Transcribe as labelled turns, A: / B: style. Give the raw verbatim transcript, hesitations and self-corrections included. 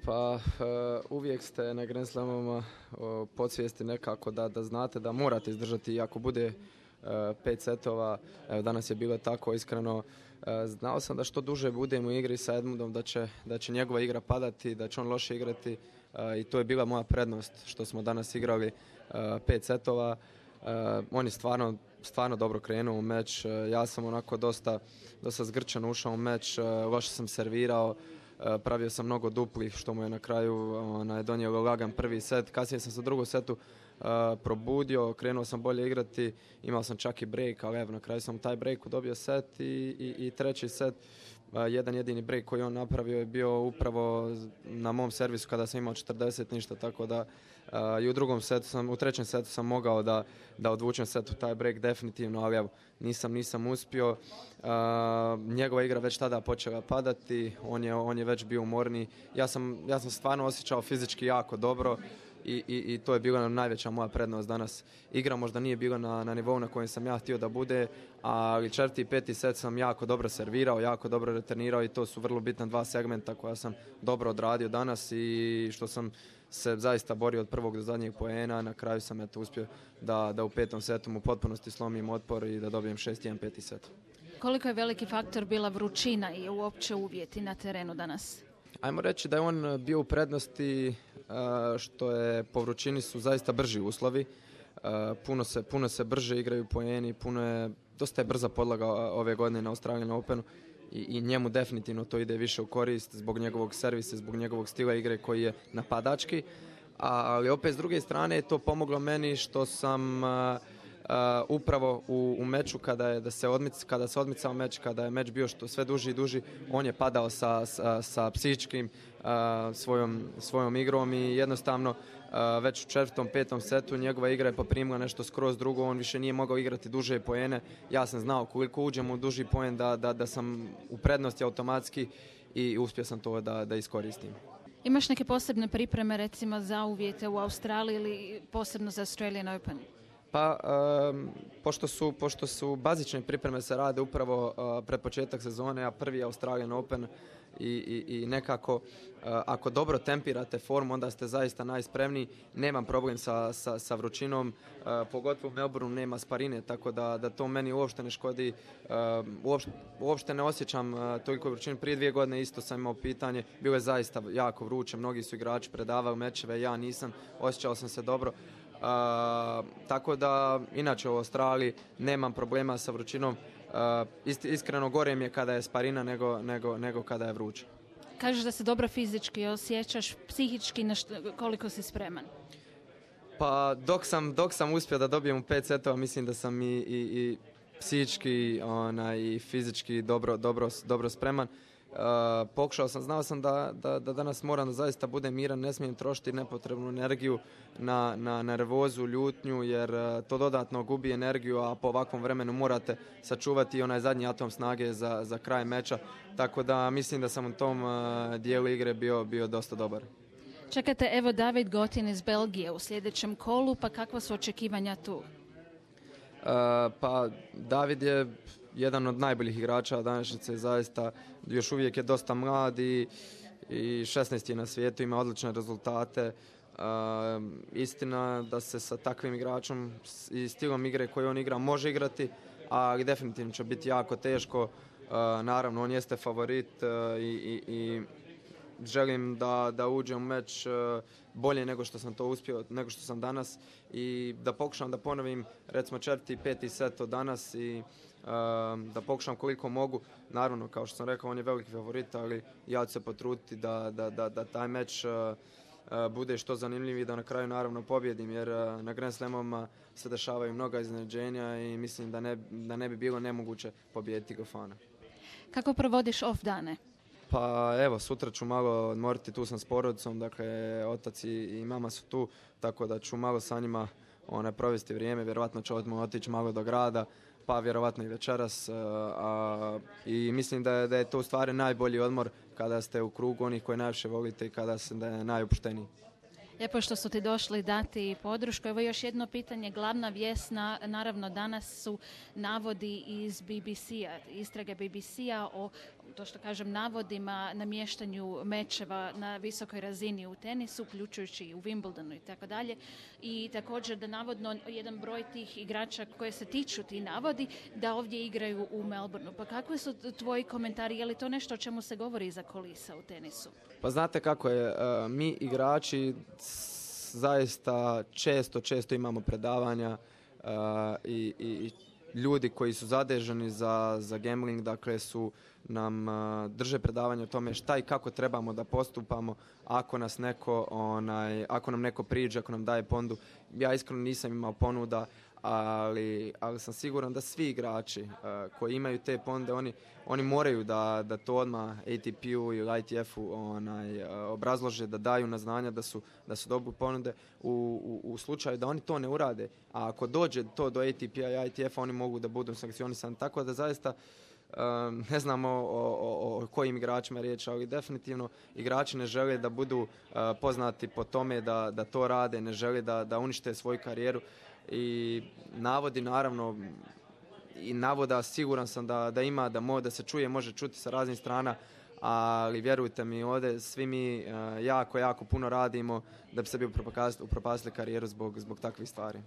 A: Pa uh, uvijek ste na Grand Slamama uh, podsvijesti nekako da, da znate da morate izdržati i ako bude uh, pet setova, evo danas je bilo tako iskreno, uh, znao sam da što duže budem u igri sa Edmundom da će, da će njegova igra padati, da će on loše igrati uh, i to je bila moja prednost što smo danas igrali uh, pet setova. Uh, on je stvarno, stvarno dobro krenuo u meč, uh, ja sam onako dosta, dosta zgrčan ušao u meč, uh, loše sam servirao. Uh, pravio sam mnogo duplih što mu je na kraju onaj, donio lagan prvi set. Kasnije sam se u drugom setu uh, probudio, krenuo sam bolje igrati, imao sam čak i break, ali evo na kraju sam u taj breaku dobio set i, i, i treći set. Uh, jedan jedini break koji on napravio je bio upravo na mom servisu kada sam imao četrdeset ništa, tako da uh, i u drugom setu sam, u trećem setu sam mogao da, da odvučem set u taj break definitivno, ali evo nisam, nisam uspio. Uh, njegova igra već tada počela padati, on je, on je već bio umorniji. Ja sam, ja sam stvarno osjećao fizički jako dobro i, i, i to je bila najveća moja prednost danas. Igra možda nije bila na, na nivou na kojem sam ja htio da bude, ali četvrti i peti set sam jako dobro servirao, jako dobro returnirao i to su vrlo bitna dva segmenta koja sam dobro odradio danas i što sam se zaista borio od prvog do zadnjeg poena. Na kraju sam eto uspio da, da u petom setu mu potpunosti slomim otpor i da dobijem šest jedan peti set.
B: Koliko je veliki faktor bila vrućina i uopće uvjeti na terenu danas?
A: Ajmo reći da je on bio u prednosti što je po vrućini su zaista brži uslovi. Puno se, puno se brže igraju poeni, puno je, dosta je brza podlaga ove godine na Australian Openu i, i njemu definitivno to ide više u korist zbog njegovog servisa, zbog njegovog stila igre koji je napadački. Ali opet s druge strane je to pomoglo meni što sam Uh, upravo u, u meču kada je da se odmic, kada se odmicao meč, kada je meč bio što sve duži i duži, on je padao sa, sa, sa psihičkim uh, svojom, svojom igrom i jednostavno uh, već u četvrtom, petom setu njegova igra je poprimila nešto skroz drugo, on više nije mogao igrati duže poene. Ja sam znao koliko uđem u duži poen da, da, da sam u prednosti automatski i uspio sam to da, da iskoristim.
B: Imaš neke posebne pripreme recimo za uvjete u Australiji ili posebno za Australian Open?
A: Pa, um, pošto, su, pošto su bazične pripreme se rade upravo uh, pred početak sezone, a prvi je Australian Open i, i, i nekako uh, ako dobro tempirate formu, onda ste zaista najspremniji. Nemam problem sa, sa, sa vrućinom, uh, pogotovo u Melbourneu nema sparine, tako da, da to meni uopšte ne škodi. Uh, uopšte, uopšte ne osjećam uh, toliko vrućinu. Prije dvije godine isto sam imao pitanje, bilo je zaista jako vruće, mnogi su igrači predavali mečeve, ja nisam, osjećao sam se dobro. Uh, tako da inače u Australiji nemam problema sa vrućinom. Uh, ist, iskreno gore mi je kada je sparina nego, nego, nego kada je vruće.
B: Kažeš da se dobro fizički osjećaš, psihički na što, koliko si spreman?
A: Pa dok sam, dok sam uspio da dobijem u pet setova, mislim da sam i, i, i psihički ona, i fizički dobro, dobro, dobro spreman. Uh, pokušao sam, znao sam da, da, da danas moram da zaista budem miran, ne smijem trošiti nepotrebnu energiju na, na nervozu, ljutnju, jer uh, to dodatno gubi energiju, a po ovakvom vremenu morate sačuvati onaj zadnji atom snage za, za kraj meča, tako da mislim da sam u tom uh, dijelu igre bio, bio dosta dobar.
B: Čekate evo David Gotin iz Belgije u sljedećem kolu, pa kakva su očekivanja tu? Uh,
A: pa David je jedan od najboljih igrača današnjice, zaista još uvijek je dosta mlad i, i šesnaesti je na svijetu, ima odlične rezultate. Uh, istina da se sa takvim igračom i stilom igre koji on igra može igrati, ali definitivno će biti jako teško. Uh, naravno, on jeste favorit uh, i, i, i želim da, da uđem u meč uh, bolje nego što sam to uspio, nego što sam danas i da pokušam da ponovim recimo četvrti i peti set od danas i uh, da pokušam koliko mogu. Naravno, kao što sam rekao, on je veliki favorit, ali ja ću se potruditi da, da, da, da taj meč uh, uh, bude što zanimljiviji, da na kraju naravno pobjedim, jer uh, na Grand Slamovima se dešavaju mnoga iznenađenja i mislim da ne, da ne bi bilo nemoguće pobijediti Gofana.
B: Kako provodiš off dane?
A: Pa evo, sutra ću malo odmoriti, tu sam s porodicom, dakle otac i, i mama su tu, tako da ću malo sa njima one, provesti vrijeme, vjerovatno ću odmah otići malo do grada, pa vjerovatno i večeras. A, a, I mislim da je, da je to u stvari najbolji odmor kada ste u krugu onih koje najviše volite i kada ste da je najopušteniji.
B: Lijepo što su ti došli dati podršku. Evo još jedno pitanje, glavna vijest, na, naravno danas su navodi iz B B C-a, istrage B B C-a o to što kažem, navodima, namještanju mečeva na visokoj razini u tenisu, uključujući i u Wimbledonu i tako dalje. I također da navodno jedan broj tih igrača koje se tiču ti navodi, da ovdje igraju u Melbourneu. Pa kakvi su tvoji komentari? Je li to nešto o čemu se govori iza kulisa u tenisu?
A: Pa znate kako je, mi igrači zaista često, često imamo predavanja i, i ljudi koji su zadeženi za, za gambling, dakle su nam drže predavanje o tome šta i kako trebamo da postupamo ako nas neko, onaj, ako nam neko priđe, ako nam daje ponudu. Ja iskreno nisam imao ponuda, ali, ali sam siguran da svi igrači uh, koji imaju te ponude, oni, oni moraju da, da to odmah A T P-u i I T F-u onaj, uh, obrazlože, da daju na znanja da su, da su dobili ponude u, u, u slučaju da oni to ne urade. A ako dođe to do A T P-a i I T F-a, oni mogu da budu sankcionisani. Tako da zaista Um, ne znamo o, o, o kojim igračima je riječ, ali definitivno igrači ne žele da budu uh, poznati po tome da, da to rade, ne žele da, da unište svoju karijeru i navodi naravno i navoda siguran sam da, da ima, da, mo, da se čuje, može čuti sa raznih strana, ali vjerujte mi, ovdje svi mi uh, jako, jako puno radimo da bi sebi upropastili karijeru zbog, zbog takvih stvari.